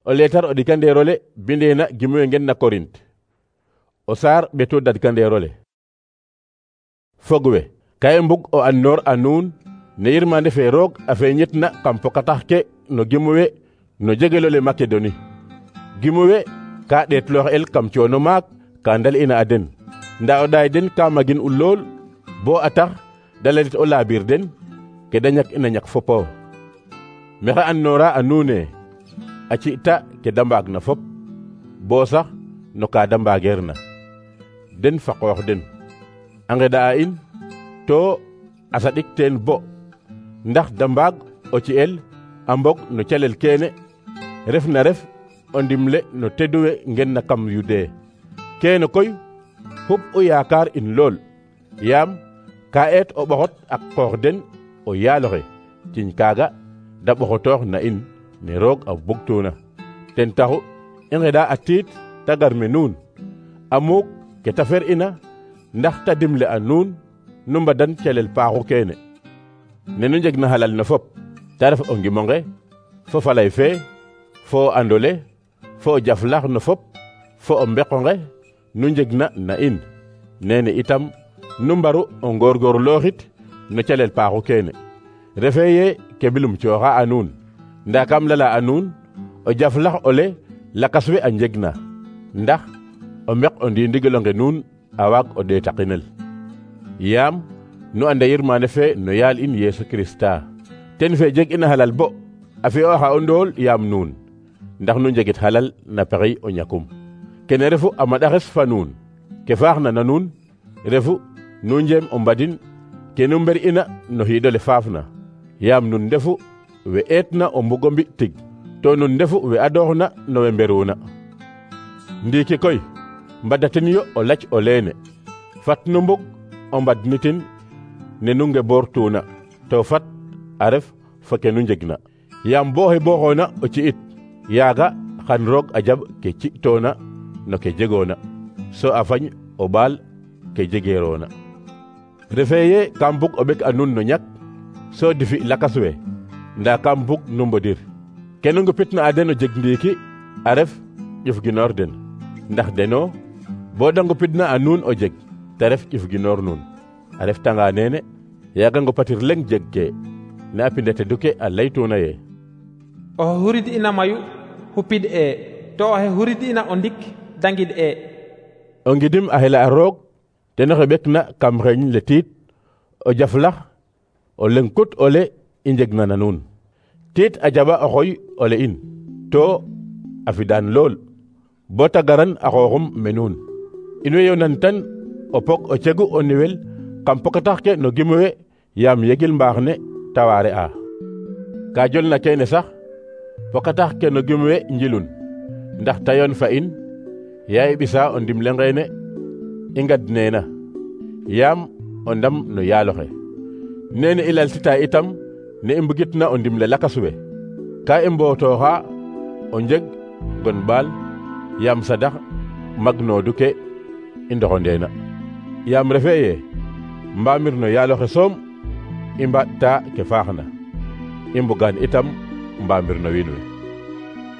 o leetar o ɗikandeerole bindeena gimuwe ngen na Korint o saar ɓeto dadkandeerole. Fogwe ka i mbug o annoor a nuun ne yirmande fe roog a feeñitna kam pokatax ke no gimuwe no jegelole Makedoni. Gimuwe ka ɗeetloox el kam coono maak ka ndal ina a den, nda o ɗaay den ka magin u lool bo a tax da lalit o laabiir den ke da ñak ina ñak fopo. Maxey annoora a nuune a ci'ta ke da mbaag na fop bo sax no ka da mbaageer na den fa qoox den a ngeɗa a in to a saɗik teen bo ndax da mbaag o ci'el a mbog no calel keene ref na ref o ndimle no teduwe ngen na kam Yude. Keene koy xup u yaakaar in lool yaam ka eet o ɓoxot ak qoox den o yaaloxe ciñ kaaga da ɓoxotoox na in ne roog a bugtuuna. Ten taxu i ngeɗa a tiit ta gar me nuun a muuk ke ta fer ina ndax ta dimle a nuun nu mbadan calel paaxu keene ne nu njeg na halal na fop ta ref o ngimonge fo falay fe fo o andole fo o jaflax no fop fo o mbeqonge nu njeg na in nene itam nu mbaru o ngoorgoorlooxit no calel paaxu keene refe ye ke bilum cooxa a nuun nda kam lala a nuun o jaflax ole lakas we a njeg na ndax o mbeq o ndiindigelonge nuun a waag o ɗeetaqinel yaam nu anda yirmande fe no yaal in Yeesu Kirista ten fe jeg ina halal bo a fi'ooxa o ndool yaam nuun ndax nu njegit halal na pexey o ñakum. Kene refu a maɗaxes fa nuun ke faaxna na nuun refu nu njeem o mbadin ke nu mber ina no xiidole faafna yaam nun ndefu we eetna o mbugo mbi tig to nun ndefu we adooxna no we mberuuna. Ndiiki koy mbadaten yo o lac o leene fat nu mbug o mbadnitin ne nu ngeboortuuna to fat a ref fa ke nu njegna yaam booxe booxoona o ci'it yaaga xan roog a jaɓ ke ci'toona no ke jegoona so a fañ o ɓaal ke jegeeroona. Refee ye kam bug o ɓek a nuun no ñak so difi lakas we nda kam bug nu mbodir ke nu ngupitna a den o jeg ndiiki a ref ƴuf ginoor den ndax deno bo da ngupidna a nuun o jeg te ref ƴuf ginoor nuun a ref tanga neene yaaga ngupatir leŋ jeg ke ne a pindete duke a laytuuna ye oxe hurid ina mayu xupid e to oxe hurid ina o ndik dangid e. O ngidim a xela a roog ten oxe ɓekna kam xeeñ le tiit o jaflax o leŋ kut ole i njegna na nuun tiit a jaɓa o xoy ole in to a fidaan lool bo ta garan a xooxum me nuun in way yonan tan o pog o cegu o niwel kam pokatax ke no gimuwe yaam yegil mbaax ne ta waare a ka jolna keene sax pokatax ke no gimuwe njilun ndax tayoon fa in yaa i ɓisa o ndimle ngeene i ngad neena yaam o ndam no yaaloxe nene i laltita itam ne i mbugitna o ndimle lakas we ka i mbootoxa o njeg gon ɓaal yaam sadax magnoodu ke i ndoxondeena yaam refee ye mbaamir no yaaloxe soom i mbaɗta ke faaxna i mbugaan itam mbaamir no wiin we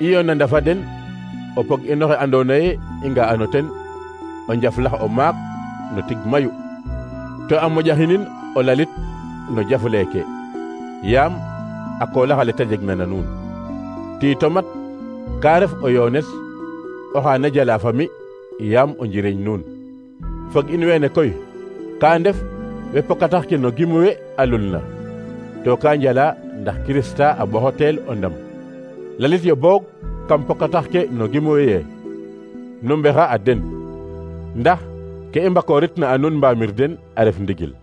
i yoona ndafa den o pog inoxe andoona ye i nga'ano ten o njaflax o maak no tig mayu to a moƴaxinin o lalit no jafleeke yaam a koolax ta jegna na nuun tiito mat ka ref o yoones oxa na jala fami yaam o njiriñ nuun fog in weene koy ka ndef we pokatax ke no gimuwe a lulna to ka njala ndax Kirista a ɓoxotel o ndam lalit yo boog kam pokatax ke no gimuwe ye nu mbexa a den ndax ke i mbakooritna a nuun mbaamir den a ref ndigil